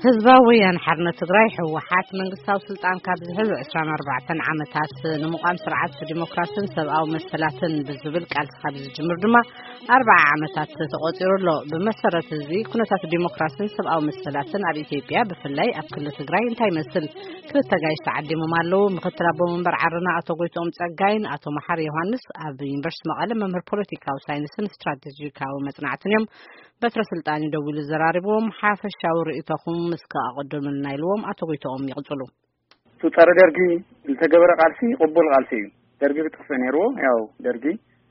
ህዝባዊ ወያነ ሓርነት ትግራይ፣ ህወሓት፣ መንግስታዊ ስልጣን ካብ ዝሕዝ ዕስራን ኣርባዕተን ዓመታት ንምቋም ስርዓት ዲሞክራስን ሰብኣዊ መሰላትን ብዝብል ቃልሲ ካብ ዝጅምር ድማ ኣርብዓ ዓመታት ተቖጺሩ ኣሎ። ብመሰረት እዚ፣ ኩነታት ዲሞክራስን ሰብኣዊ መሰላትን ኣብ ኢትዮጵያ፣ ብፍላይ ኣብ ክልል ትግራይ እንታይ ይመስል? ክልተ ጋይሽ ተዓዲሞም ኣለዉ። ምክትል ኣቦ መንበር ዓረና ኣቶ ጎይትኦም ጸጋይን ኣቶ መሓሪ ዮሃንስ፣ ኣብ ዩኒቨርሲቲ መቐለ መምህር ፖለቲካዊ ሳይንስን ስትራቴጂካዊ መጽናዕትን እዮም። በትረ ስልጣን እዩ ደዊሉ ዘራሪብዎም። ሓፈሻዊ ርእይቶኹም እስከ ኣቐድሙልና ኢልዎም ኣቶ ጎይትኦም ይቕጽሉ። እቲ ጸረ ደርጊ ዝተገበረ ቃልሲ ቅቡል ቃልሲ እዩ። ደርጊ ክጥፍእ ነይርዎ። ያው ደርጊ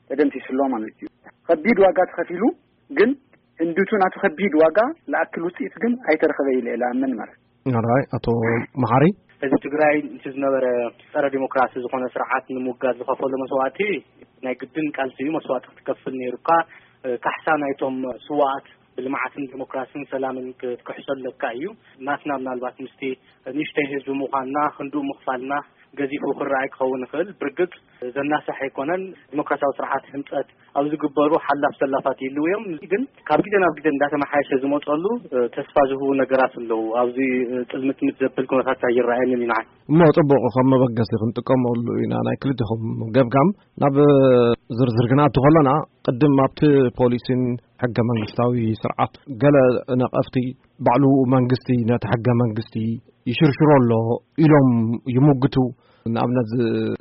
ተደምሲስሎ ማለት እዩ። ከቢድ ዋጋ ተኸፊሉ፣ ግን ህንድቱ ናቱ ከቢድ ዋጋ ለኣክል ውፅኢት ግን ኣይተረኸበ ኢለ እየ ለኣምን ማለት። ኣራይ ኣቶ መሓሪ፣ ህዝቢ ትግራይ እቲ ዝነበረ ጸረ ዲሞክራሲ ዝኾነ ስርዓት ንምውጋድ ዝኸፈሎ መስዋእቲ ናይ ግድን ቃልሲ እዩ። መስዋእቲ ክትከፍል ነይሩካ። እ፣ ካሕሳ ናይቶም ስዋኣት ብልምዓትን ዲሞክራሲን ሰላምን ክትክሕሶ ኣለካ እዩ። ናትና ምናልባት ምስቲ ንእሽተይ ህዝቢ ምዃንና ክንድኡ ምኽፋልና ገዚፉ ክረኣይ ክኸውን ይኽእል። ብርግጽ ዘናሳሕ ኣይኮነን። ዲሞክራሲያዊ ስርዓት ህንጸት ኣብ ዝግበሩ ሓላፍ ሰላፋት ይህልው እዮም። ግን ካብ ግዜ ናብ ግዜ እንዳተመሓየሸ ዝመጸሉ፣ እ፣ ተስፋ ዝህቡ ነገራት ኣለዉ። ኣብዚ፣ እ፣ ጥልምትምት ዘብል ኩነታት ኣይረኣየንን እዩ ንዓይ። እሞ ጽቡቕ፣ ከም መበገሲ ክንጥቀመሉ ኢና ናይ ክልቲኹም ገምጋም። ናብ ዝርዝር ክንኣቱ ከለና፣ ቅድም ኣብቲ ፖሊሲን ሕገ መንግስታዊ ስርዓት ገለ ነቐፍቲ፣ ባዕሉ መንግስቲ ነቲ ሕገ መንግስቲ ይሽርሽሮ ኣሎ ኢሎም ይምግቱ። ንኣብነት፣ ዝ-፣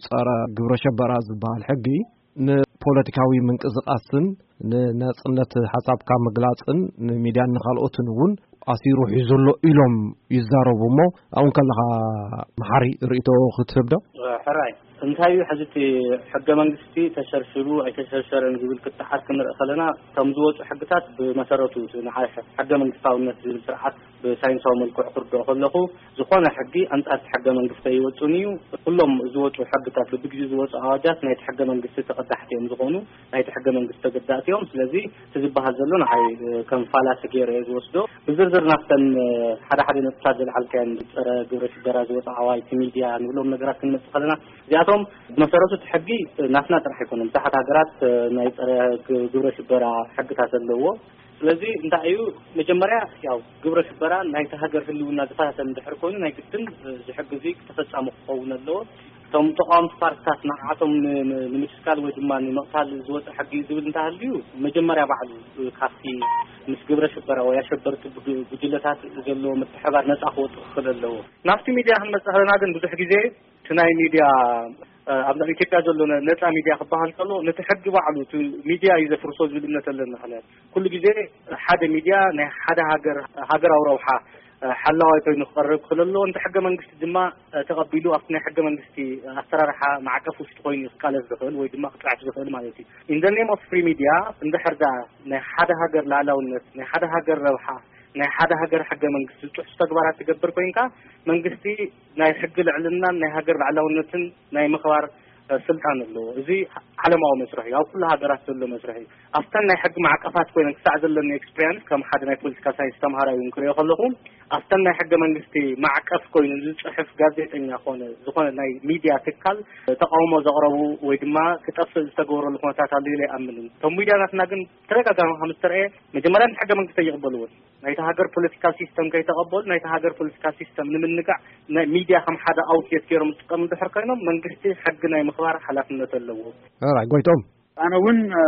ጸረ ግብረ ሸበራ ዝበሃል ሕጊ ንፖለቲካዊ ምንቅስቃስን ንናጽነት ሓሳብካ ምግላጽን ንሚድያን ንኻልኦትን እውን ኣሲሩ ሒዙ ኣሎ ኢሎም ይዛረቡ። እሞ ኣብኡ ከለኻ መሓሪ ርእይቶ ክትህብ ዶ? ሕራይ፣ እንታይ እዩ ሕዚ እቲ ሕገ መንግስቲ ተሸርሽሩ ኣይተሸርሸረን ዝብል ክትሓር ክንርኢ ከለና፣ ከም ዝወፁ ሕግታት ብመሰረቱ እቲ ንዓይ ሕገ መንግስታውነት ዝብል ስርዓት ብሳይንሳዊ መልክዑ ክርድኦ ከለኹ፣ ዝኾነ ሕጊ ኣንጻር እቲ ሕገ መንግስቲ ኣይወፅን እዩ። ኩሎም ዝወፁ ሕግታት፣ በብግዜኡ ዝወፁ ኣዋጃት ናይቲ ሕገ መንግስቲ ተቐዳሕቲ እዮም ዝኾኑ፣ ናይቲ ሕገ መንግስቲ ተገዳእቲ እዮም። ስለዚ እቲ ዝበሃል ዘሎ ንዓይ፣ እ፣ ከም ፋላሲ ገይረ እየ ዝወስዶ። ብዝርዝር ናብተን፣ እ፣ ሓደ ሓደ ነጥብታት ዘልዓልካየን፣ ጸረ ግብረ ሽበራ ዝወፅኣ ኣዋጅ፣ እቲ ሚድያ ንብሎም ነገራት ክንመፅእ ከለና፣ እዚኣቶም ብመሰረቱ እቲ ሕጊ፣ እ፣ ናትና ጥራሕ ኣይኮነን። ብዙሓት ሃገራት፣ እ፣ ናይ ጸረ ግ-፣ ግብረ ሽበራ ሕግታት ኣለዎ። ስለዚ እንታይ እዩ፣ መጀመርያ ያው ግብረ ሽበራ ናይቲ ሃገር ህልውና ዝፈታተን እንድሕር ኮይኑ፣ ናይ ግድን፣ እ፣ እዚ ሕጊ እዚ ተፈጻሚ ክኸውን ኣለዎ። እቶም ተቃወምቲ ፓርትታት ንዓቶም ን-፣ ን-፣ ንምስካል ወይ ድማ ንምቕታል ዝወፀ ሕጊ ዝብል እንተሃልዩ፣ መጀመርያ ባዕሉ፣ እ፣ ካብቲ ምስ ግብረ ሽበራ ወይ ኣሸበርቲ ብግ-፣ ጉጅለታት ዘለዎ ምትሕባር ነፃ ክወፅእ ክኽእል ኣለዎ። ናብቲ ሚድያ ክንመፅእ ከለና ግን፣ ብዙሕ ግዜ እቲ ናይ ሚድያ፣ እ፣ ኣብ ኢትዮጵያ ዘሎ ነ-፣ ነፃ ሚድያ ክበሃል ከሎ፣ ነቲ ሕጊ ባዕሉ፣ እቲ ሚድያ እዩ ዘፍርሶ ዝብል እምነት ኣለኒ። ምኽንያቱ ኩሉ ግዜ ሓደ ሚድያ ናይ ሓደ ሃገር፣ ሃገራዊ ረብሓ፣ እ፣ ሓላዋይ ኮይኑ ክቐርብ ክኽእል ኣለዎ። እንተ ሕገ መንግስቲ ድማ፣ እ፣ ተቐቢሉ ኣብቲ ናይ ሕገ መንግስቲ ኣሰራርሓ ማዕቀፍ ውሽጢ ኮይኑ እዩ ክቃለስ ዝኽእል ወይ ድማ ክፅሕፍ ዝኽእል ማለት እዩ። In the name of free media፣ እንድሕር ደኣ ናይ ሓደ ሃገር ላዕላውነት፣ ናይ ሓደ ሃገር ረብሓ፣ ናይ ሓደ ሃገር ሕገ መንግስቲ ዝጥሕሱ ተግባራት ትገብር ኮይንካ፣ መንግስቲ ናይ ሕጊ ልዕልናን ናይ ሃገር ላዕላውነትን ናይ ምኽባር፣ እ፣ ስልጣን ኣለዎ። እዚ ዓለማዊ መስርሕ እዩ፣ ኣብ ኩሉ ሃገራት ዘሎ መስርሕ እዩ። ኣብተን ናይ ሕጊ ማዕቀፋት ኮይነን ክሳዕ ዘለኒ ኤክስፒሪየንስ ከም ሓደ ናይ ፖለቲካ ሳይንስ ተምሃራይ እውን ክሪኦ ከለኹ፣ ኣብተን ናይ ሕገ መንግስቲ ማዕቀፍ ኮይኑ ዝጽሕፍ ጋዜጠኛ ኮነ ዝኾነ ናይ ሚድያ ትካል ተቃውሞ ዘቕረቡ ወይ ድማ ክጠፍእ ዝተገበረሉ ኩነታት ኣሎ ኢለ ኣይኣምንን። እቶም ሚድያ ናትና ግን ተደጋጋሚ ከም ዝተረእየ፣ መጀመርያ ሕገ መንግስቲ ኣይቕበልዎን። ናይቲ ሃገር ፖለቲካል ሲስተም ከይተቐበሉ፣ ናይቲ ሃገር ፖለቲካል ሲስተም ንምንጋዕ ናይ ሚድያ ከም ሓደ ኣውትሌት ገይሮም ዝጥቀሙ እንድሕር ኮይኖም፣ መንግስቲ ሕጊ ናይ ምኽባር ሓላፍነት ኣለዎ። ራይ ጎይቶም። ኣነ እውን፣ እ፣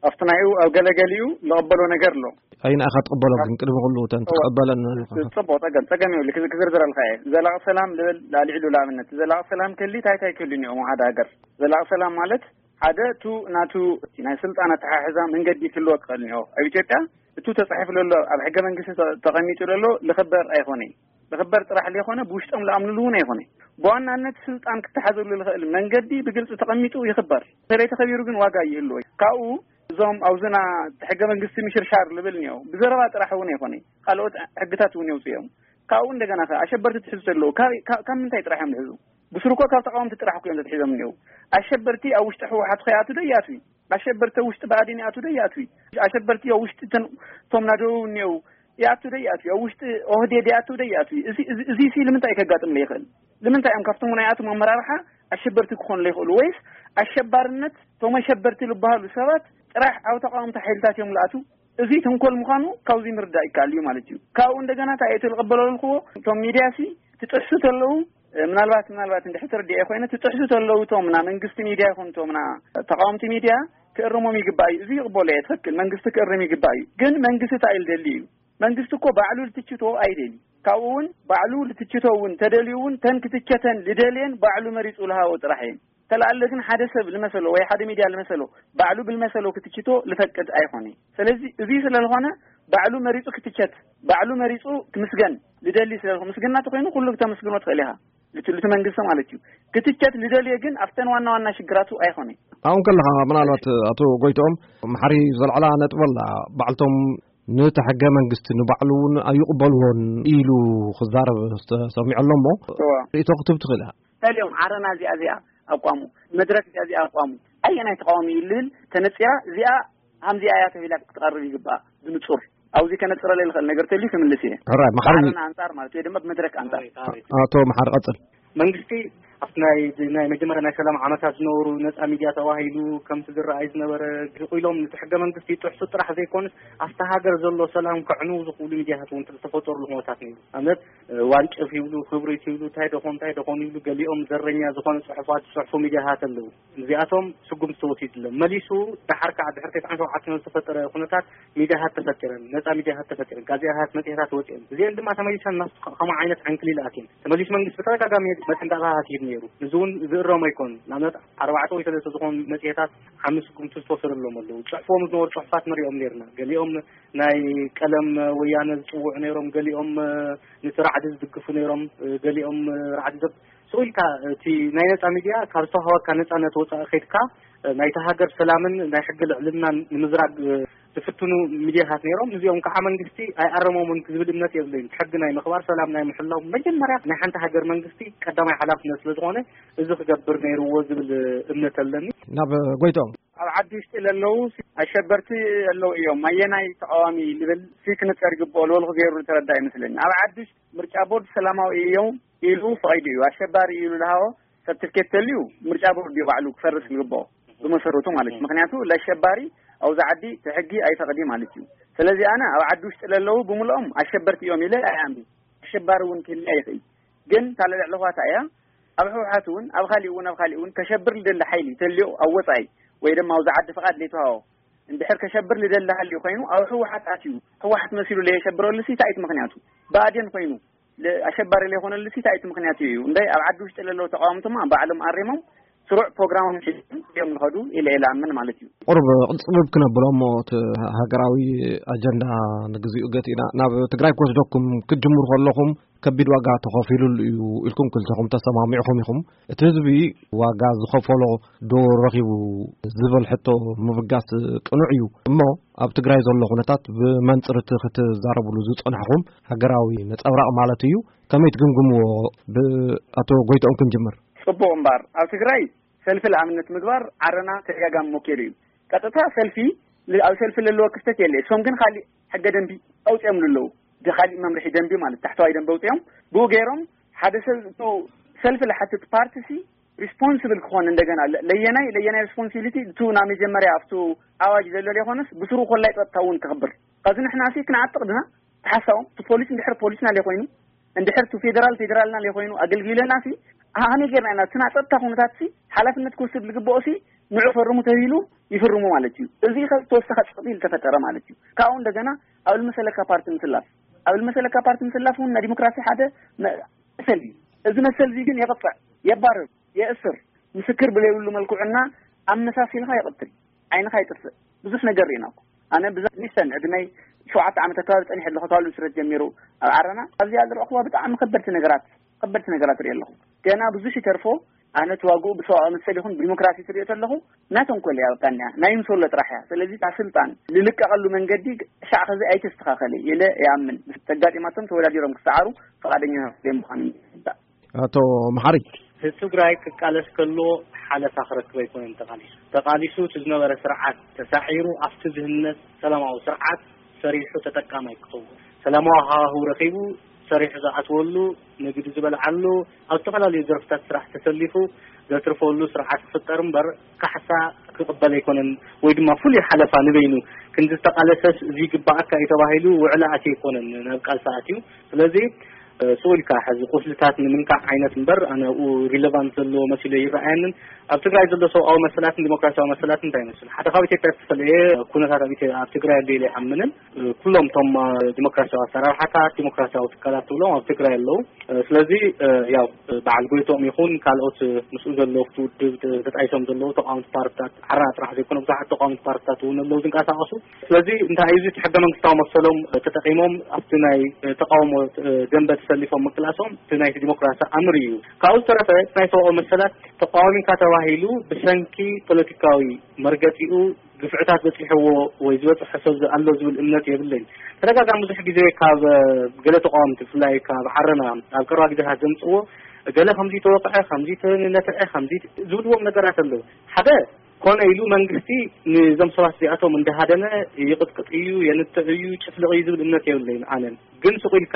ኣብቲ ናይኡ ኣብ ገለገሊኡ ዝቐበሎ ነገር ኣሎ። ኣይና ኢኻ ትቕበሎ፣ ግን ቅድሚ ኩሉ እተን እዋ፣ ትቐበለን ኣለኻ። ጽቡቕ፣ ጸገም፣ ጸገም የብሉ። ክዝ-፣ ክዝርዝረልካ እየ። ዘላቂ ሰላም ልብል ላልዕሉ ንኣብነት፣ ዘላቂ ሰላም ከሊ እንታይ እንታይ ክህሉ እኒኦም ሓደ ሃገር? ዘላቂ ሰላም ማለት ሓደ፣ እቱ ናቱ ናይ ስልጣን ኣተሓሕዛ መንገዲ ክህልዎ ክኽእል እኒኦ። ኣብ ኢትዮጵያ እቱ ተጻሒፉ ዘሎ፣ ኣብ ሕገ መንግስቲ ተ-፣ ተቐሚጡ ዘሎ ልኽበር ኣይኮነይ። ልኽበር ጥራሕ ዘይኮነ፣ ብውሽጦም ልኣምንሉ እውን ኣይኮነይ። ብዋናነት ስልጣን ክተሓዘሉ ልኽእል መንገዲ ብግልጺ ተቐሚጡ ይኽበር። እንተዘይተኸቢሩ ግን ዋጋ ይህልዎ። ካብኡ እዞም ኣብዝና ሕገ መንግስቲ ምሽርሻር ልብል እኒኦ። ብዘረባ ጥራሕ እውን ኣይኮነይ። ካልኦት ሕግታት እውን የውፅኡ እዮም። ካብኡ እንደገና ከ ኣሸበርቲ ትሕዙ ተለዉ፣ ካብ፣ ካብ፣ ካብ ምንታይ ጥራሕ እዮም ዝሕዙ? ብስሩ እኮ ካብ ተቃወምቲ ጥራሕ እኮ እዮም ተትሒዞም እኒአው። ኣሸበርቲ ኣብ ውሽጢ ህወሓት ከይኣቱ ዶ ይኣትዊ? ኣሸበርቲ ኣብ ውሽጢ ብኣዴን ይኣቱ ዶ ይኣትዊ? ኣሸበርቲ ኣብ ውሽጢ እተን፣ እቶም ናደው እኒአው ይኣቱ ዶ ይኣትዊ? ኣብ ውሽጢ ኦህዴድ ይኣቱ ዶ ይኣትዊ? እዚ፣ እዚ፣ እዚ ሲ ልምንታይ ከጋጥም ይኽእል? ልምንታይ እዮም ካብቶም ናይኣቶም ኣመራርሓ ኣሸበርቲ ክኾኑ ይኽእሉ? ወይስ ኣሸባርነት፣ እቶም ኣሸበርቲ ዝበሃሉ ሰባት ጥራሕ ኣብ ተቃወምቲ ሓይልታት እዮም ዝኣትዉ? እዚ ተንኮል ምዃኑ ካብዚ ምርዳእ ይከኣል እዩ ማለት እዩ። ካብኡ እንደገና እንታይ እየ ትልቕበለልክዎ? እቶም ሚድያ ሲ ትጥሕሱ ተለዉ፣ ምናልባት ምናልባት እንድሕር ተረዲኤ ኮይነ ትጥሕሱ ተለዉ፣ እቶም ና መንግስቲ ሚድያ ይኹን እቶም ና ተቃወምቲ ሚድያ ክእርሞም ይግባእ እዩ። እዚ ይቕበሎ እየ፣ ትኽክል፣ መንግስቲ ክእርም ይግባእ እዩ። ግን መንግስቲ እንታይ እዩ ዝደሊ እዩ? መንግስቲ እኮ ባዕሉ ልትችቶ ኣይደሊ። ካብኡ እውን ባዕሉ ልትችቶ እውን ተደልዩ እውን ተን ክትቸተን ልደልየን ባዕሉ መሪፁ ልሃቦ ጥራሕ እየን። ተላኣለ ግን ሓደ ሰብ ልመሰሎ ወይ ሓደ ሚድያ ልመሰሎ ባዕሉ ብልመሰሎ ክትችቶ ልፈቅድ ኣይኾነ። ስለዚ እዚ ስለልኾነ ባዕሉ መሪፁ ክትቸት፣ ባዕሉ መሪፁ ክምስገን ልደሊ ስለልኹ፣ ምስግና ተኮይኑ ኩሉ ክተመስግኖ ትኽእል ኢኻ። ልትልቱ መንግስቲ ማለት እዩ። ክትቸት ልደልየ ግን ኣብተን ዋና ዋና ሽግራቱ ኣይኾነ። ኣብኡ ከለኻ ምናልባት ኣቶ ጎይትኦም መሓሪ ዘልዕላ ነጥበላ ባዕልቶም ነቲ ሕገ መንግስቲ ንባዕሉ እውን ኣይቕበልዎን ኢሉ ክዛረብ ተሰሚዑ ኣሎ እሞ እዋ። ርእቶ ክትብ ትኽእል ኢኻ። ተልዮም ዓረና እዚኣ እዚኣ ኣቋሙ፣ መድረክ እዚኣ እዚኣ ኣቋሙ፣ ኣየናይ ተቃዋሚ እዩ ልብል ተነፂራ እዚኣ ሃምዚኣ እያ ተቢላ ክትቀርብ ይግባእ። ብንጹር ኣብዚ ከነፅረለ ልኽእል ነገር ተልዩ ክምልስ እየ። ሕራይ መሓሪ። ዓረና ኣንጻር ማለት ወይ ድማ ብመድረክ ኣንጻር። ኣቶ መሓሪ ቀጽል። መንግስቲ ኣብቲ ናይ ናይ መጀመርያ ናይ ሰላም ዓመታት ዝነበሩ ነፃ ሚድያ ተባሂሉ ከምቲ ዝረኣይ ዝነበረ ኢሎም ነቲ ሕገ መንግስቲ ይጥሕሱ ጥራሕ ዘይኮንስ ኣብታ ሃገር ዘሎ ሰላም ከዕንው ዝኽእሉ ሚድያታት እውን ዝተፈጠሩሉ ኩነታት ነይሩ። ኣብነት ዋንጭፍ ይብሉ፣ ክብሪት ይብሉ፣ እንታይ ደኾን እንታይ ደኾን ይብሉ፣ ገሊኦም ዘረኛ ዝኾነ ፅሑፋት ዝፅሕፉ ሚድያታት ኣለዉ። እዚኣቶም ስጉምቲ ተወሲድሎም መሊሱ። ደሓር ከዓ ድሕሪ ተስዓን ሸውዓተን ዝተፈጠረ ኩነታት ሚድያታት ተፈጢረን፣ ነፃ ሚድያታት ተፈጢረን፣ ጋዜጣታት፣ መፅሄታት ወፂኦም። እዚአን ድማ ተመሊሰን ናብቲ ከምኡ ዓይነት ዕንክሊል ኣትየን። ተመሊሱ መንግስቲ ብተደጋጋሚ መጠንቀቕታታት ይህብ ነይሩ። እዚ እውን ዝእረም ኣይኮን። ንኣብነት ኣርባዕተ ወይ ሰለስተ ዝኾኑ መፅሄታት ሓምስ ስጉምቲ ዝተወሰደሎም ኣለዉ። ፅሕፎም ዝነበሩ ፅሑፋት ንሪኦም ነይርና። ገሊኦም ናይ ቀለም ወያነ ዝፅውዑ ነይሮም፣ ገሊኦም ነቲ ራዕዲ ዝድግፉ ነይሮም፣ ገሊኦም ራዕዲ ዘብ ስኡ ኢልካ እቲ ናይ ነፃ ሚድያ ካብ ዝተዋሃበካ ነፃነት ወፃኢ ከይድካ ናይቲ ሃገር ሰላምን ናይ ሕጊ ልዕልናን ንምዝራግ ዝፍትኑ ሚድያታት ነይሮም። እዚኦም ከዓ መንግስቲ ኣይኣረሞምን ዝብል እምነት የብለይን። ሕጊ ናይ ምኽባር፣ ሰላም ናይ ምሕላው መጀመርያ ናይ ሓንቲ ሃገር መንግስቲ ቀዳማይ ሓላፍነት ስለ ዝኾነ እዚ ክገብር ነይርዎ ዝብል እምነት ኣለኒ። ናብ ጎይቶም። ኣብ ዓዲ ውሽጢ ለለዉ ኣሸበርቲ ኣለዉ እዮም። ኣየናይ ተቃዋሚ ልብል ሲ ክንፀር ይግብኦ ልበልኩ ገይሩ ዝተረዳ ይመስለኒ። ኣብ ዓዲ ውሽጢ ምርጫ ቦርድ ሰላማዊ እዮም ኢሉ ፈቒዱ እዩ። ኣሸባሪ እዩ ኢሉ ዝሃቦ ሰርቲፊኬት ተልዩ ምርጫ ቦርድ እዩ ባዕሉ ክፈርስ ዝግብኦ ብመሰረቱ ማለት እዩ። ምክንያቱ ለኣሸባሪ ኣብዚ ዓዲ እቲ ሕጊ ኣይፈቕዲ ማለት እዩ። ስለዚ ኣነ ኣብ ዓዲ ውሽጢ ለለዉ ብምልኦም ኣሸበርቲ እዮም ኢለ ኣይኣምን። ኣሸባሪ እውን ክህልያ ይኽእል። ግን እታ ለልዕለኹዋ እያ ኣብ ህወሓት እውን ኣብ ካሊእ እውን ኣብ ካሊእ እውን ከሸብር ልደሊ ሓይሊ ተልዮ ኣብ ወፃኢ ወይ ድማ ኣብዚ ዓዲ ፍቓድ ለይተዋሃቦ እንድሕር ከሸብር ልደሊ ሃልዩ ኮይኑ ኣብ ህወሓት ኣትዩ ህወሓት መሲሉ ለየሸብረሉ ሲ እንታይ እቲ ምክንያቱ? ብኣዴን ኮይኑ ለ- ኣሸባሪ ለይኮነሉ ሲ እንታይ እቲ ምክንያቱ እዩ? እንታይ ኣብ ዓዲ ውሽጢ ለለዉ ተቃወምቲ ድማ ባዕሎም ኣሪሞም ስሩዕ ፕሮግራሞም ሒዞም እዮም ዝኸዱ ኢለ ኢለ ኣምን ማለት እዩ። ቁሩብ ቅልፅብብ ክነብሎ እሞ እቲ ሃገራዊ ኣጀንዳ ንግዚኡ ገቲእና ናብ ትግራይ ክወስደኩም ክትጅምሩ ከለኹም ከቢድ ዋጋ ተኸፊሉሉ እዩ ኢልኩም ክልተኹም ተሰማሚዕኹም ኢኹም። እቲ ህዝቢ ዋጋ ዝኸፈሎ ዶ ረኺቡ ዝብል ሕቶ ምብጋስ ቅኑዕ እዩ። እሞ ኣብ ትግራይ ዘሎ ኩነታት ብመንፅር እቲ ክትዛረብሉ ዝፀናሕኹም ሃገራዊ ነፀብራቕ ማለት እዩ። ከመይ ትግምግምዎ? ብኣቶ ጎይትኦም ክንጅምር። ፅቡቕ እምበር ኣብ ትግራይ ሰልፊ ለኣብነት ምግባር ዓረና ተደጋጋሚ ሞኪሩ እዩ። ቀጥታ ሰልፊ ል- ኣብ ሰልፊ ለለዎ ክፍተት የለ። እሶም ግን ካሊእ ሕገ ደንቢ ኣውፅኦም ኣለዉ። እቲ ካሊእ መምርሒ ደንቢ ማለት ታሕተዋይ ደንቢ ኣውፅኦም ብኡ ገይሮም ሓደ ሰብ እቱ ሰልፊ ለሓትት ፓርቲ ሲ ሪስፖንስብል ክኾን እንደገና ለ- ለየናይ ለየናይ ሪስፖንሲቢሊቲ እቱ ናብ መጀመርያ ኣብቱ ኣዋጅ ዘሎ ዘይኮነስ ብስሩ ኮላይ ፀጥታ እውን ክኽብር ካብዚ ንሕና ሲ ክንዓጥቕ ድና ተሓሳቦም እቲ ፖሊስ እንድሕር ፖሊስና ለይኮይኑ እንድሕር እቲ ፌደራል ፌደራልና ለይኮይኑ ኣገልጊለና ሲ ኣሃመይ ጌርና ኢና እቲ ናይ ፀጥታ ኩነታት ሲ ሓላፍነት ክወስድ ዝግብኦ ሲ ንዑ ፈርሙ ተባሂሉ ይፍርሙ ማለት እዩ። እዚ ካብ ዝተወሰኸ ፀቕጢ ዝተፈጠረ ማለት እዩ። ካብኡ እንደገና ኣብ ልመሰለካ ፓርቲ ምስላፍ ኣብ ልመሰለካ ፓርቲ ምስላፍ እውን ናይ ዲሞክራሲ ሓደ መ- መሰል እዩ። እዚ መሰል እዚ ግን የቕፅዕ፣ የባርር፣ የእስር፣ ምስክር ብለይብሉ መልክዑና ኣመሳሲልካ ይቕትል፣ ዓይንኻ ይጥፍእ። ብዙሕ ነገር ርኢና እኮ። ኣነ ብዛ ኒስተን ዕድመይ ሸውዓተ ዓመት ኣካባቢ ፀኒሐ ኣለኹ ካብ ስረት ጀሚሩ ኣብ ዓረና ኣብዚኣ ዝረእኹዋ ብጣዕሚ ከበድቲ ነገራት ከበድቲ ነገራት ርኢ ኣለኹ። ገና ብዙሕ ይተርፎ። ኣነ ተዋግኡ ብሰብኣዊ መሰል ይኹን ብዲሞክራሲ ትሪኦ ተለኹ ናተንኮል እያ በቃ እኒኣ ናይ ምሶሎ ጥራሕ እያ። ስለዚ እታ ስልጣን ዝልቀቐሉ መንገዲ ሻዕ ከዚ ኣይተስተኻኸለ ኢለ ይኣምን። ተጋጢማቶም ተወዳዲሮም ክሰዓሩ ፈቓደኛ ዘይምዃኑ ይርዳእ። ኣቶ መሓሪ። ህዝቢ ትግራይ ክቃለስ ከሎ ሓለፋ ክረክብ ኣይኮነን ተቃሊሱ። ተቃሊሱ እቲ ዝነበረ ስርዓት ተሳዒሩ ኣብቲ ዝህነፅ ሰላማዊ ስርዓት ሰሪሑ ተጠቃማይ ክኸውን ሰላማዊ ሃዋህው ረኺቡ ሰሪሑ ዝኣትወሉ፣ ንግዲ ዝበልዓሉ፣ ኣብ ዝተፈላለዩ ዘርፍታት ስራሕ ተሰሊፉ ዘትርፈሉ ስርዓት ክፍጠር እምበር፣ ካሕሳ ክቕበል ኣይኮነን፣ ወይ ድማ ፍሉይ ሓለፋ ንበይኑ ክንዲ ዝተቓለሰስ ዝግባኣካ እዩ ተባሂሉ ውዕሊ ኣትዩ ኣይኮነን ናብ ቃልሲ ኣትዩ። ስለዚ ስቕ ኢልካ ሕዚ ቁስልታት ንምንካዕ ዓይነት እምበር፣ ኣነ ኣብኡ ሪለቫንት ዘለዎ መሲሉ ይረኣየንን። ኣብ ትግራይ ዘሎ ሰብኣዊ መሰላትን ዲሞክራሲያዊ መሰላትን እንታይ ይመስል? ሓደ ካብ ኢትዮጵያ ዝተፈለየ ኩነታት ኣብ ኢትዮ- ኣብ ትግራይ ኣሎ ኢለ ኣይኣምንን። ኩሎም እቶም ዲሞክራሲያዊ ኣሰራርሓታት፣ ዲሞክራሲያዊ ትካላት ትብሎም ኣብ ትግራይ ኣለዉ። ስለዚ ያው በዓል ጎይቶም ይኹን ካልኦት ምስኡ ዘለዉ ውድብ ተጣይሶም ዘለዉ ተቃወምቲ ፓርትታት፣ ዓረና ጥራሕ ዘይኮነ ብዙሓት ተቃወምቲ ፓርትታት እውን ኣለዉ ዝንቀሳቐሱ። ስለዚ እንታይ እዩ እዚ? ሕገ መንግስታዊ መሰሎም ተጠቂሞም ኣብቲ ናይ ተቃውሞ ደንበ ተሰሊፎም ምቅላሶም እቲ ናይቲ ዲሞክራሲ ኣምር እዩ። ካብኡ ዝተረፈ ናይ ሰብኣዊ መሰላት ተቃዋሚካ ተባሂሉ ብሰንኪ ፖለቲካዊ መርገጺኡ ግፍዕታት በጺሕዎ ወይ ዝበጽሖ ሰብ ኣሎ ዝብል እምነት የብለይን። ተደጋጋሚ ብዙሕ ግዜ ካብ ገለ ተቃወምቲ ብፍላይ ካብ ዓረና ኣብ ቀረባ ግዜታት ዘምጽዎ ገለ ከምዚ ተወቅዐ፣ ከምዚ ተነትዐ፣ ከምዚ ዝብልዎም ነገራት ኣለዉ። ሓደ ኮነ ኢሉ መንግስቲ ንዞም ሰባት እዚኣቶም እንዳሃደነ ይቕጥቅጥ እዩ፣ የንትዕ እዩ፣ ጭፍልቕ እዩ ዝብል እምነት የብለይን። ኣነን ግን ስቕ ኢልካ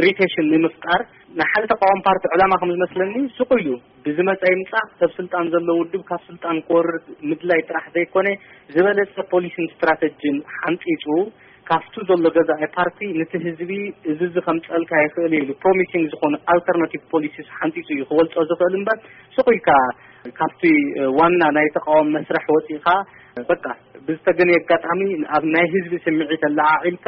ኢሪቴሽን ንምፍጣር ናይ ሓደ ተቃዋሚ ፓርቲ ዕላማ ከም ዝመስለኒ ስቕ ኢሉ ብዝመፀ ይምፃእ ሰብ ስልጣን ዘሎ ውድብ ካብ ስልጣን ክወርድ ምድላይ ጥራሕ ዘይኮነ ዝበለፀ ፖሊሲን ስትራተጂን ሓንፂፁ ካብቱ ዘሎ ገዛኢ ፓርቲ ንቲ ህዝቢ እዚ እዚ ከምፀልካ ይኽእል ኢሉ ፕሮሚሲንግ ዝኾኑ ኣልተርናቲቭ ፖሊሲስ ሓንፂፁ እዩ ክወልፆ ዝኽእል እምበር ስቕ ኢልካ ካብቲ ዋና ናይ ተቃዋሚ መስርሕ ወፂእኻ በቃ ብዝተገነየ ኣጋጣሚ ኣብ ናይ ህዝቢ ስምዒት ኣለዓዒልካ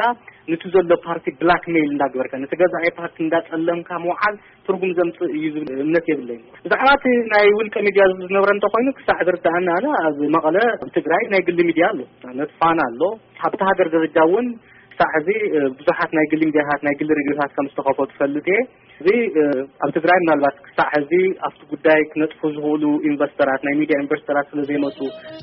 ንቲ ዘሎ ፓርቲ ብላክሜይል እንዳግበርካ ንቲ ገዛኢ ፓርቲ እንዳፀለምካ ምውዓል ትርጉም ዘምፅእ እዩ ዝብል እምነት የብለይን። ብዛዕባ እቲ ናይ ውልቀ ሚድያ ዝነብረ እንተኮይኑ ክሳዕ ዝርዳእና ኣነ ኣብ መቐለ ኣብ ትግራይ ናይ ግሊ ሚድያ ኣሎ፣ ንኣብነት ፋና ኣሎ። ኣብቲ ሃገር ደረጃ እውን ክሳዕ ሕዚ ብዙሓት ናይ ግሊ ሚድያታት ናይ ግሊ ሬድዮታት ከም ዝተኸፈቱ ፈልጥ እየ። እዚ ኣብ ትግራይ ምናልባት ክሳዕ ሕዚ ኣብቲ ጉዳይ ክነጥፉ ዝኽእሉ ኢንቨስተራት ናይ ሚድያ ኢንቨስተራት ስለ ዘይመፁ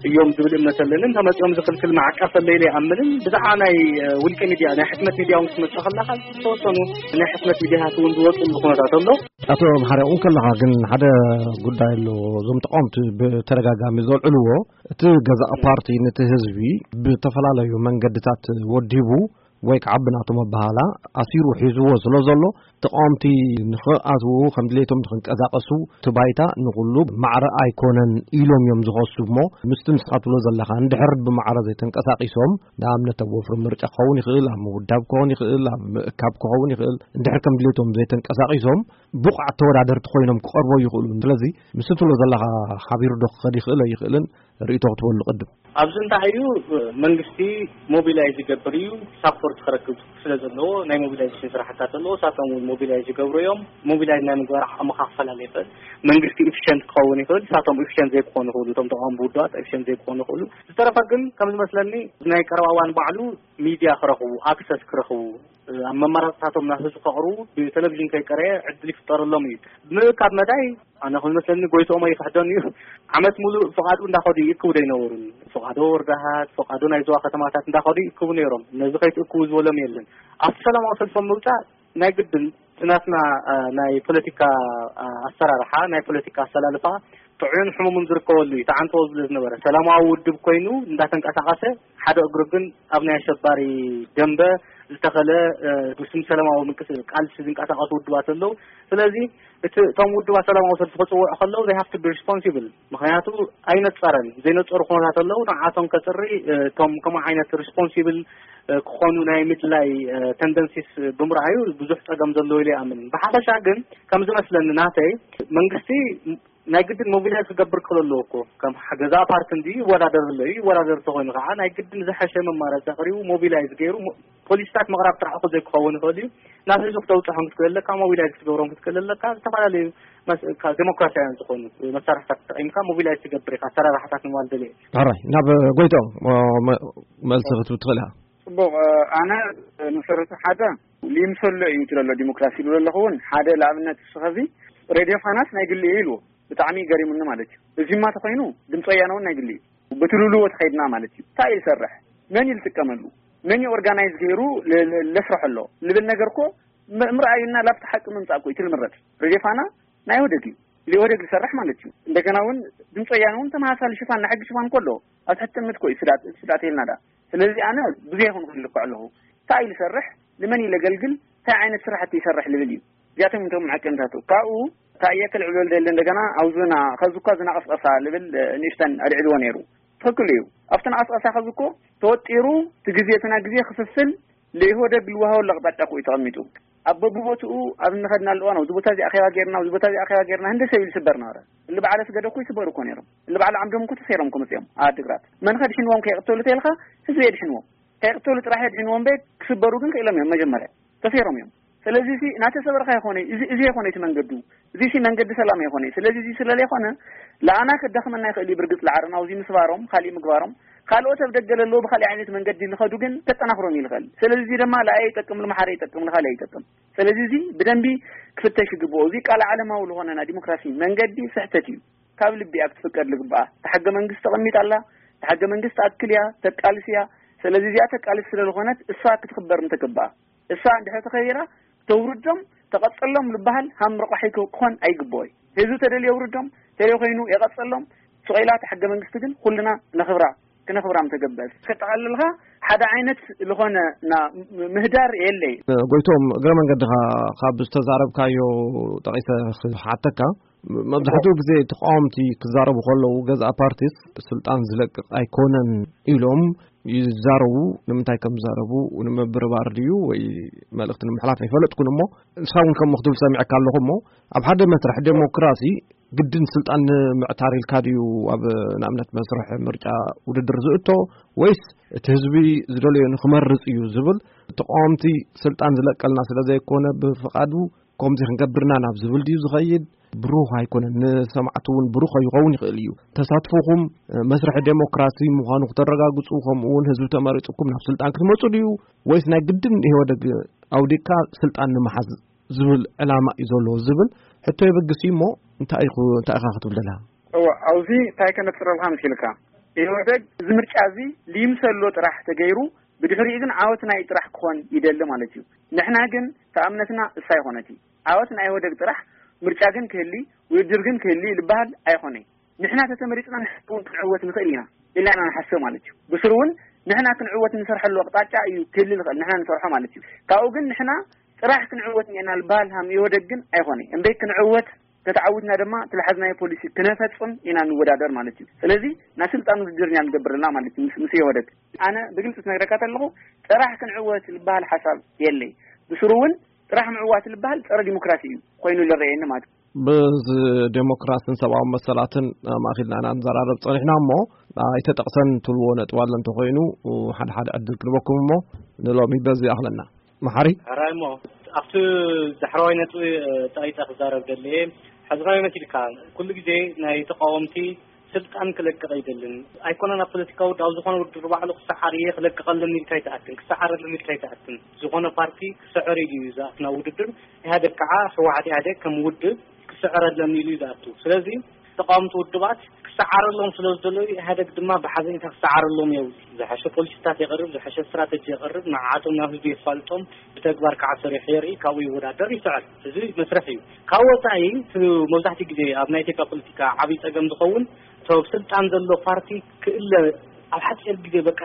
እዮም ዝብል እምነት ኣለኒ። እንተመፂኦም ዝኽልክል ማዕቀፍ ኣለይ ኢለ ኣይኣምንን። ብዛዕባ ናይ ውልቀ ሚድያ ናይ ሕትመት ሚድያ እውን ክትመፅእ ከለካ ዝተወሰኑ ናይ ሕትመት ሚድያታት እውን ዝወፅሉ ኩነታት ኣሎ። ኣቶ መሓሪ እውን ከለኻ ግን ሓደ ጉዳይ ኣሎ። እዞም ተቃወምቲ ብተደጋጋሚ ዘልዕልዎ እቲ ገዛእ ፓርቲ ነቲ ህዝቢ ብተፈላለዩ መንገድታት ወዲቡ ወይ ከዓ ብናቶም ኣበሃላ ኣሲሩ ሒዝዎ ስለ ዘሎ ተቃወምቲ ንክኣትዉ ከም ድሌቶም ንክንቀሳቀሱ እቲ ባይታ ንኩሉ ማዕረ ኣይኮነን ኢሎም እዮም ዝኸሱ። እሞ ምስቲ ንስኻ ትብሎ ዘለካ እንድሕር ብማዕረ ዘይተንቀሳቂሶም ንኣብነት ኣብ ወፍሪ ምርጫ ክኸውን ይኽእል፣ ኣብ ምውዳብ ክኸውን ይኽእል፣ ኣብ ምእካብ ክኸውን ይኽእል። እንድሕር ከም ድሌቶም ዘይተንቀሳቂሶም ብቑዓት ተወዳደርቲ ኮይኖም ክቐርቦ ይኽእሉ። ስለዚ ምስ ትብሎ ዘለካ ሓቢሩ ዶ ክኸድ ይኽእል ኣይኽእልን ርእይቶ ክትበሉ ቅድም። ኣብዚ እንታይ እዩ መንግስቲ ሞቢላይዝ ይገብር እዩ ሳፖርት ክረክብ ስለ ዘለዎ ናይ ሞቢላይዜሽን ስራሕታት ኣለዎ። ሳቶም እውን ሞቢላይዝ ይገብሩ እዮም። ሞቢላይዝ ናይ ምግባር ዓቕሚ ክፈላለ ይኽእል። መንግስቲ ኢፊሸንት ክኸውን ይኽእል፣ ሳቶም ኢፊሸንት ዘይክኾኑ ይኽእሉ። እቶም ተቃወምቲ ውድባት ኢፊሸንት ዘይክኾኑ ይኽእሉ። ዝተረፈ ግን ከም ዝመስለኒ ናይ ቀረባ እዋን ባዕሉ ሚድያ ክረኽቡ ኣክሰስ ክረኽቡ ኣብ መመራፅታቶም ናብ ህዝቢ ከቕርቡ ብቴሌቪዥን ከይቀረየ ዕድል ይፍጠረሎም እዩ። ምእካብ መዳይ ኣነ ከም ዝመስለኒ ጎይትኦም ኣይክሕደን እዩ። ዓመት ሙሉእ ፍቓዱ እንዳኸዱ ይእክቡ ዶ ኣይነበሩን? ፍቓዶ ወርዳሃት ፍቓዶ ናይ ዞባ ከተማታት እንዳኸዱ ይእክቡ ነይሮም። ነዚ ከይትእክቡ ዝበሎም የለን። ኣብቲ ሰላማዊ ሰልፎም ምውፃእ ናይ ግድን እቲ ናትና ናይ ፖለቲካ ኣሰራርሓ ናይ ፖለቲካ ኣሰላልፋ ጥዑይን ሕሙምን ዝርከበሉ እዩ ተዓንተዎ ዝብለ ዝነበረ ሰላማዊ ውድብ ኮይኑ እንዳተንቀሳቀሰ ሓደ እግሩ ግን ኣብ ናይ ኣሸባሪ ደንበ ዝተኸለ ብስም ሰላማዊ ምንቅስ ቃልሲ ዝንቀሳቀሱ ውድባት ኣለዉ። ስለዚ እቲ እቶም ውድባት ሰላማዊ ሰልፊ ክፅውዑ ከለዉ they have to be responsible ምክንያቱ ኣይነፀረን ዘይነፀሩ ኩነታት ኣለዉ ንዓቶም ከፅሪ እቶም ከምኡ ዓይነት ሪስፖንሲብል ክኾኑ ናይ ምድላይ ተንደንሲስ ብምርኣዩ ብዙሕ ፀገም ዘለዎ ኢለ ይኣምን። ብሓፈሻ ግን ከም ዝመስለኒ ናተይ መንግስቲ ናይ ግድን ሞቢላይዝ ክገብር ክኽእል ኣለዎ እኮ ከም ገዛ ፓርቲ እንዲ ይወዳደር ኣሎ እዩ ይወዳደር ተኮይኑ ከዓ ናይ ግድን ዝሐሸ መማረፂ ኣቅሪቡ ሞቢላይዝ ገይሩ ፖሊሲታት ምቕራብ ጥራሕ እኮ ዘይክኸውን ይኽእል እዩ ናብ ህዝቢ ክተውፅሖም ክትክእል ኣለካ ሞቢላይዝ ክትገብሮም ክትክእል ኣለካ ዝተፈላለዩ ዴሞክራሲያውያን ዝኾኑ መሳርሕታት ተጠቂምካ ሞቢላይዝ ትገብር ኢኻ ኣሰራርሓታት ንምባል ደልየ ሕራይ ናብ ጎይቶም መልሲ ክትብ ትኽእል ኢኻ። ፅቡቕ። ኣነ መሰረቱ ሓደ ይምሰሎ እዩ ትለሎ ዲሞክራሲ ይብሎ ኣለኹ እውን ሓደ ንኣብነት ንስኸዚ ሬድዮ ፋናስ ናይ ግሊ እዩ ኢልዎ ብጣዕሚ ገሪሙኒ ማለት እዩ። እዚማ ተኮይኑ ድምፂ ወያነ እውን ናይ ግሊ እዩ። ብትልልዎ ተኸይድና ማለት እዩ እንታይ እዩ ዝሰርሕ መን እዩ ዝጥቀመሉ መን እዩ ኦርጋናይዝ ገይሩ ለስርሖ ኣሎ ልብል ነገር እኮ ምርኣዩና ላብቲ ሓቂ ምምፃእ እኮ እዩ ትልምረፅ ሬድዮ ፋና ናይ ወደግ እዩ ኢህወደግ ዝሰርሕ ማለት እዩ። እንደገና እውን ድምፂ ወያነ እውን ተመሳሳሊ ሽፋን ናይ ሕጊ ሽፋን እኮ ኣለዎ። ኣብ ትሕቲ ጥምት እኮ እዩ ስዳት ስዳት የልና ዳ ስለዚ ኣነ ብዙ ይኹን ክልኩዕ ኣለኹ እንታይ እዩ ዝሰርሕ ንመን እዩ ለገልግል፣ እንታይ ዓይነት ስራሕቲ ይሰርሕ ልብል እዩ። እዚኣቶም እቶም መዐቀንታቱ። ካብኡ እታ እየ ክልዕሎ ልደሊ እንደገና፣ ኣብዙና ከዚ እኳ ዝናቐስቐሳ ልብል ንእሽተን ኣልዕልዎ ነይሩ። ትኽክል እዩ። ኣብቲ ናቐስቐሳ ከዚ እኮ ተወጢሩ፣ እቲ ግዜ፣ እቲ ናይ ግዜ ክፍፍል ለኢህወደግ ልወሃበሉ ኣቕጣጫ እኮ እዩ ተቐሚጡ። ኣብ በብቦትኡ ኣብ እንኸድናሉ እዋን፣ ኣብዚ ቦታ እዚ ኣኼባ ጌርና፣ ኣብዚ ቦታ እዚ ኣኼባ ጌርና፣ ህንደ ሰብ ኢሉ ይስበር ነበረ። እሊ በዓለ ስገደ እኮ ይስበሩ እኮ ነይሮም። እሊ በዓለ ዓምዶም እኮ ተሰይሮም እኮ መጺኦም ኣብ ድግራት። መን ኸ ድሕንዎም ከየቕተሉ ተይልካ፣ ህዝቢ የድሕንዎም። ከየቕተሉ ጥራሕ የድሕንዎም እምበር፣ ክስበሩ ግን ክኢሎም እዮም። መጀመርያ ተሰይሮም እዮም። ስለዚ እዚ እናተሰበርካ ይኾነ፣ እዚ፣ እዚ ይኾነ እቲ መንገዱ። እዚ ሲ መንገዲ ሰላም ይኾነ። ስለዚ እዚ ስለለ ይኾነ፣ ለኣና ከዳኽመና ይኽእል እዩ። ብርግጽ ለዓረና ኣብዚ ምስባሮም፣ ካሊእ ምግባሮም፣ ካልኦት ኣብ ደገ ለለዉ ብኻሊእ ዓይነት መንገዲ ልኸዱ ግን ከጠናኽሮም ይልኸል። ስለዚ እዚ ድማ ለኣየ ይጠቅም፣ ልመሓረ ይጠቅም፣ ልኻሊእ ይጠቅም። ስለዚ እዚ ብደንቢ ክፍተሽ ይግብኦ። እዚ ቃል ዓለማዊ ልኾነ ናይ ዲሞክራሲ መንገዲ ስሕተት እዩ። ካብ ልቢ እያ ክትፍቀድ ልግብኣ። እታ ሕገ መንግስቲ ተቐሚጣ ኣላ። እታ ሕገ መንግስቲ ትኣክል እያ፣ ተቃልስ እያ። ስለዚ እዚኣ ተቃልስ ስለ ዝኾነት እሳ ክትኽበር ምተገባኣ። እሳ እንድሕር ተኸቢራ፣ ተውርዶም፣ ተቐጸሎም ልበሃል ሃም ረቋሒ ክኾን ኣይግብኦይ። ህዝቢ ተደልዮ የውርዶም፣ ተደልዮ ኮይኑ የቐጸሎም። ስቕ ኢላ እታ ሕገ መንግስቲ ግን ኩልና ነኽብራ፣ ክነኽብራ ምተገበአት። ከጠቓልልካ ሓደ ዓይነት ዝኾነ ና-፣ ምህዳር የለይ። ጎይቶም፣ እግረ መንገድኻ ካብ ዝተዛረብካዮ ጠቒሰ ክሓተካ፣ መብዛሕትኡ ግዜ ተቃወምቲ ክዛረቡ ከለዉ፣ ገዛእ ፓርቲስ ስልጣን ዝለቅቕ ኣይኮነን ኢሎም ይዛረቡ። ንምንታይ ከም ዝዛረቡ ንምብርባር ድዩ ወይ መልእኽቲ ንምሕላፍ ኣይፈለጥኩን እሞ፣ ንስኻ እውን ከምኡ ክትብል ሰሚዐካ ኣለኹ እሞ፣ ኣብ ሓደ መስርሕ ዴሞክራሲ ግድን ስልጣን ንምዕታር ኢልካ ድዩ ኣብ ንኣብነት መስርሕ ምርጫ ውድድር ዝእቶ፣ ወይስ እቲ ህዝቢ ዝደለዮ ንክመርጽ እዩ ዝብል፣ ተቃወምቲ ስልጣን ዝለቀልና ስለ ዘይኮነ ብፍቓዱ ከምዚ ክንገብርና ናብ ዝብል ድዩ ዝኸይድ? ብሩህ ኣይኮነን። ንሰማዕቲ እውን ብሩህ ከይኸውን ይኽእል እዩ። ተሳትፎኹም መስርሕ ዴሞክራሲ ምዃኑ ክተረጋግጹ፣ ከምኡ እውን ህዝቢ ተመሪጹኩም ናብ ስልጣን ክትመጹ ድዩ? ወይስ ናይ ግድን ኢህወደግ ኣውዲቕካ ስልጣን ንምሓዝ ዝብል ዕላማ እዩ ዘለዎ ዝብል ሕቶ የበግስ እዩ እሞ፣ እንታይ ኢኹ-፣ እንታይ ኢኻ ክትብል ደለኻ? እወ፣ ኣብዚ እንታይ ከነጽረልካ መሲልካ? ኢህወደግ እዚ ምርጫ እዚ ልይምሰሎ ጥራሕ ተገይሩ፣ ብድሕሪኡ ግን ዓወት ናይ ጥራሕ ክኾን ይደሊ ማለት እዩ። ንሕና ግን ተኣምነትና እሳ ይኾነት እዩ። ዓወት ናይ ኢህወደግ ጥራሕ፣ ምርጫ ግን ክህሊ፣ ውድድር ግን ክህሊ ልበሃል ኣይኾነይ። ንሕና ተተመሪጽና ንሕና እውን ክንዕወት ንኽእል ኢና ኢልና ኢና ንሓስብ ማለት እዩ። ብስሩ እውን ንሕና ክንዕወት ንሰርሐሉ ኣቕጣጫ እዩ ክህሊ ዝኽእል፣ ንሕና ንሰርሖ ማለት እዩ። ካብኡ ግን ንሕና ጥራሕ ክንዕወት እኒአና ልበሃል ሃም ኢህወደግ ግን ኣይኾነይ። እምበይ ክንዕወት፣ ከተዓውትና ድማ እቲ ልሓዝናዮ ፖሊሲ ክነፈጽም ኢና ንወዳደር ማለት እዩ። ስለዚ ናይ ስልጣን ውድድር ኢና ንገብር ዘለና ማለት እዩ ምስ፣ ምስ ኢህወደግ። ኣነ ብግልጺ ክነግረካ ተለኹ፣ ጥራሕ ክንዕወት ልበሃል ሓሳብ የለይ። ብስሩ እውን ጥራሕ ምዕዋት ልበሃል ጸረ ዲሞክራሲ እዩ ኮይኑ ዝረኣየኒ ማለት እዩ። ብዚ ዴሞክራስን ሰብኣዊ መሰላትን ኣማእኪልና ኢና ንዘራረብ ጸኒሕና እሞ፣ ኣይተጠቕሰን ትብልዎ ነጥቢ ኣሎ እንተኾይኑ፣ ሓደ ሓደ ዕድል ክንበኩም እሞ፣ ንሎሚ በዚ ይኣኽለና። መሓሪ? ሕራይ እሞ፣ ኣብቲ ዳሕረዋይ ነጥቢ፣ እ፣ ጠቒጠ ክዛረብ ደልየ፣ ሕዝባዊ መሲልካ፣ ኩሉ ግዜ ናይ ተቃወምቲ ስልጣን ክለቅቕ ኣይደልን። ኣይኮነን ኣብ ፖለቲካዊ ውድብ፣ ኣብ ዝኾነ ውድድር ባዕሉ ክሰዓር እየ፣ ክለቅቐሎም ኢልካ ኣይትኣትን፣ ክሰዓረሎም ኢልካ ኣይትኣትን። ዝኾነ ፓርቲ ክስዕር ኢሉ እዩ ዝኣቱ ናብ ውድድር። ኢህኣደግ ከዓ፣ ህወሓት ኢህኣደግ ከም ውድብ ክስዕረሎም ኢሉ እዩ ዝኣቱ። ስለዚ ተቃወምቲ ውድባት ክሰዓረሎም ስለ ዝደለዩ፣ ኢህኣደግ ድማ ብሓዘኔታ ክሰዓረሎም የብሉ። ዝሐሸ ፖሊሲታት የቕርብ፣ ዝሐሸ ስትራተጂ የቕርብ፣ ንዓቶም ናብ ህዝቢ የፋልጦም፣ ብተግባር ከዓ ሰሪሑ የርኢ፣ ካብኡ ይወዳደር፣ ይስዕር። እዚ መስርሕ እዩ። ካብ ወፃኢ፣ እቲ መብዛሕትኡ ግዜ ኣብ ናይ ኢትዮጵያ ፖለቲካ ዓብዪ ፀገም ዝኸውን፣ እቲ ኣብ ስልጣን ዘሎ ፓርቲ ክእለ፣ ኣብ ሓፂር ግዜ በቃ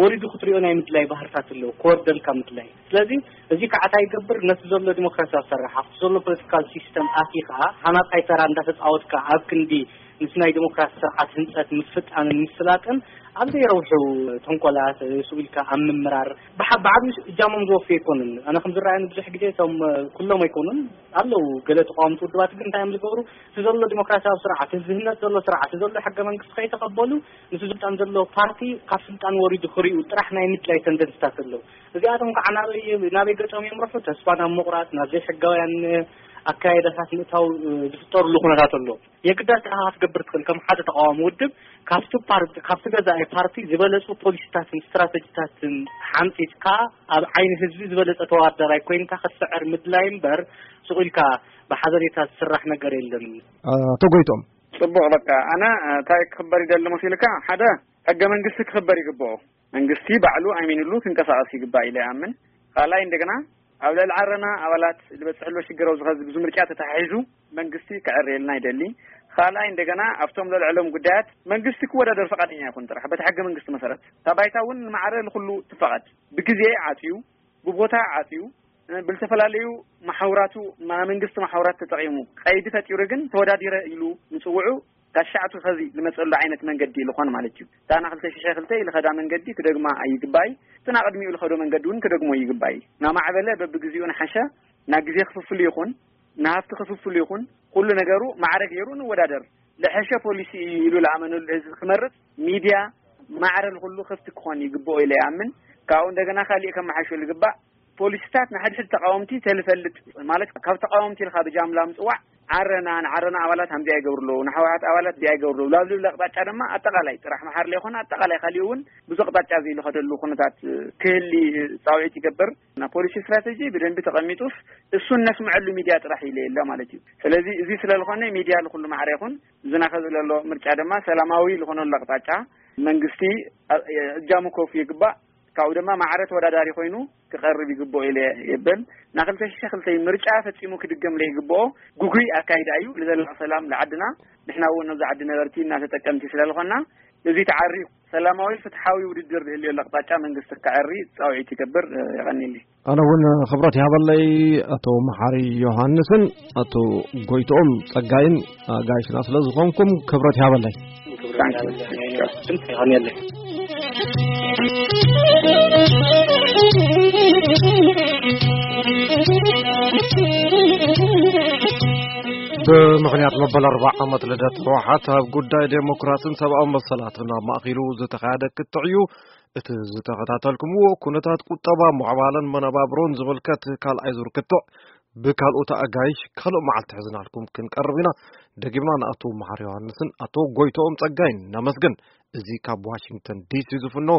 ወሪዱ ክትሪኦ ናይ ምድላይ ባህርታት ኣለዎ፣ ክወርደልካ ምድላይ። ስለዚ እዚ ከዓ እንታይ ይገብር? ነቲ ዘሎ ዲሞክራሲያዊ ኣሰራርሓ፣ ኣብቲ ዘሎ ፖለቲካል ሲስተም ኣቲኻ ሃናፃይ ተራ እንዳተፃወትካ ኣብ ክንዲ ምስ ናይ ዲሞክራሲ ስርዓት ህንፀት ምፍጣንን ምፍላጥን ኣብ ዘይረብሑ ተንኮላት፣ ስኡ ኢልካ ኣብ ምምራር ብሓ-፣ ብዓብዩ እጃሞም ዝወፍዩ ኣይኮኑን። ኣነ ከም ዝረኣየኒ ብዙሕ ግዜ እቶም፣ ኩሎም ኣይኮኑን፣ ኣለዉ ገለ ተቃወምቲ ውድባት ግን እንታይ እዮም ዝገብሩ? እቲ ዘሎ ዲሞክራሲያዊ ስርዓት፣ እዚ ዝህነፅ ዘሎ ስርዓት፣ እዚ ዘሎ ሕገ መንግስቲ ከይተቐበሉ፣ ምስ ስልጣን ዘሎ ፓርቲ ካብ ስልጣን ወሪዱ ክሪኡ ጥራሕ ናይ ምድላይ ተንደንስታት ኣለዉ። እዚኣቶም ከዓ ናበይ፣ ናበይ ገጾም የምርሑ? ተስፋ ናብ ምቑራጽ፣ ናብ ዘይሕጋውያን ኣካይዳታት ምእታው፣ እ፣ ዝፍጠርሉ ኩነታት ኣሎ። የግዳስ ንስኻ ክትገብር ትኽእል፣ ከም ሓደ ተቃዋሚ ውድብ፣ ካብቲ ፓርቲ፣ ካብቲ ገዛኢ ፓርቲ ዝበለጹ ፖሊሲታትን ስትራተጂታትን ሓንጺጽካ፣ ኣብ ዓይኒ ህዝቢ ዝበለጸ ተወዳዳራይ ኮይንካ ክትስዕር ምድላይ እምበር፣ ስቕ ኢልካ ብሓዘኔታ ዝስራሕ ነገር የለን። ኣቶ ጎይቶም። ጽቡቕ፣ በቃ፣ ኣነ፣ እ፣ እንታይ ክኽበር ይደሊ መሲልካ? ሓደ፣ ሕገ መንግስቲ ክኽበር ይግብኦ። መንግስቲ ባዕሉ ኣሚንሉ ክንቀሳቐስ ይግባእ ኢለ ይኣምን። ካልኣይ፣ እንደገና ኣብ ልዕሊ ዓረና ኣባላት ዝበጽሕ ኣሎ ሽግር ኣብዚ ኸዚ ብዙ ምርጫ ተተሓሒዙ መንግስቲ ክዕረየልና ይደሊ። ካልኣይ፣ እንደገና ኣብቶም ለልዕሎም ጉዳያት መንግስቲ ክወዳደር ፈቃደኛ ይኹን ጥራሕ በቲ ሕገ መንግስቲ መሰረት። እታ ባይታ እውን ንማዕረ ንኹሉ ትፈቐድ። ብግዜ ዓጽዩ ብቦታ ዓፅዩ፣ ብልተፈላለዩ ማሕውራቱ፣ ማ-፣ መንግስቲ ማሕውራት ተጠቒሙ ቀይዲ ፈጢሩ ግን ተወዳዲረ ኢሉ ምጽውዑ ጋሻዕቱ ኸዚ ልመጸሉ ዓይነት መንገዲ ልኾን ማለት እዩ። እታ ና ክልተ ሽሕ ክልተ ልኸዳ መንገዲ ክደግማ ኣይግባይ። እቲ ና ቅድሚኡ ልኸዶ መንገዲ እውን ክደግሞ ይግባይ። ናማዕበለ በብግዜኡ ንሓሸ፣ ና ግዜ ክፍፍሉ ይኹን፣ ንሃፍቲ ክፍፍሉ ይኹን፣ ኩሉ ነገሩ ማዕረ ገይሩ ንወዳደር። ልሐሸ ፖሊሲ እዩ ኢሉ ልኣመነሉ ህዝቢ ክመርጽ ሚድያ ማዕረ ንኹሉ ክፍቲ ክኾን ይግብኦ ኢለ ይኣምን። ካብኡ እንደገና ካሊእ ከመሓሾ ልግባእ ፖሊሲታት ንሓድሕድ ተቃወምቲ ተልፈልጥ ማለት ካብ ተቃወምቲ ኢልካ ብጃምላ ምጽዋዕ ዓረና ንዓረና ኣባላት ሃምዚ ኣይገብሩ ኣለዉ፣ ንሕወሓት ኣባላት እዚ ኣይገብሩ ኣለዉ ላብልብል ኣቅጣጫ ድማ ኣጠቃላይ ጥራሕ መሓር ለይኮነ ኣጠቃላይ ካሊኡ እውን ብዙ ኣቅጣጫ እዚ ልኸደሉ ኩነታት ክህሊ ጻውዒት ይገብር። ና ፖሊሲ ስትራቴጂ ብደንቢ ተቐሚጡስ እሱ እነስምዐሉ ሚድያ ጥራሕ ኢለ የለ ማለት እዩ። ስለዚ እዚ ስለ ዝኾነ ሚድያ ልኩሉ ማዕረ ይኹን ዝናኸ ዝለሎ ምርጫ ድማ ሰላማዊ ዝኾነሉ ኣቅጣጫ መንግስቲ እጃሙ ከውፍ ይግባእ። ካብኡ ድማ ማዕረ ተወዳዳሪ ኮይኑ ክቐርብ ይግብኦ ኢለ የብል። ና ክልተ ሽሕ ክልተ ምርጫ ፈጺሙ ክድገም ለይግብኦ ጉጉይ ኣካይዳ እዩ። ልዘላቕ ሰላም ለዓድና ንሕና እውን ነዚ ዓዲ ነበርቲ እና ተጠቀምቲ ስለ ዝኾንና እዚ ተዓሪ ሰላማዊ ፍትሓዊ ውድድር ዝህልዮ ኣቅጣጫ መንግስቲ ክዓሪ ጻውዒት ይገብር። የቐኒልይ። ኣነ እውን ክብረት ይሃበለይ ኣቶ መሓሪ ዮሃንስን ኣቶ ጎይትኦም ጸጋይን ኣጋይሽና ስለ ዝኾንኩም ክብረት ይሃበለይ። ይቐኒለይ። ብምኽንያት መበል ኣርባዓ ዓመት ልደት ህወሓት ኣብ ጉዳይ ዴሞክራሲን ሰብኣዊ መሰላትን ኣብ ማእኪሉ ዝተኻየደ ክትዕ እዩ። እቲ ዝተኸታተልኩምዎ ኩነታት ቁጠባ፣ ሞዕባለን መነባብሮን ዝምልከት ካልኣይ ዙር ክትዕ ብካልኦት ኣጋይሽ ካልእ መዓልቲ ሕዝናልኩም ክንቀርብ ኢና። ደጊምና ንኣቶ መሓር ዮሃንስን ኣቶ ጎይቶኦም ጸጋይን ነመስግን። እዚ ካብ ዋሽንግተን ዲሲ ዝፍኖ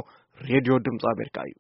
ሬድዮ ድምፂ ኣሜሪካ እዩ።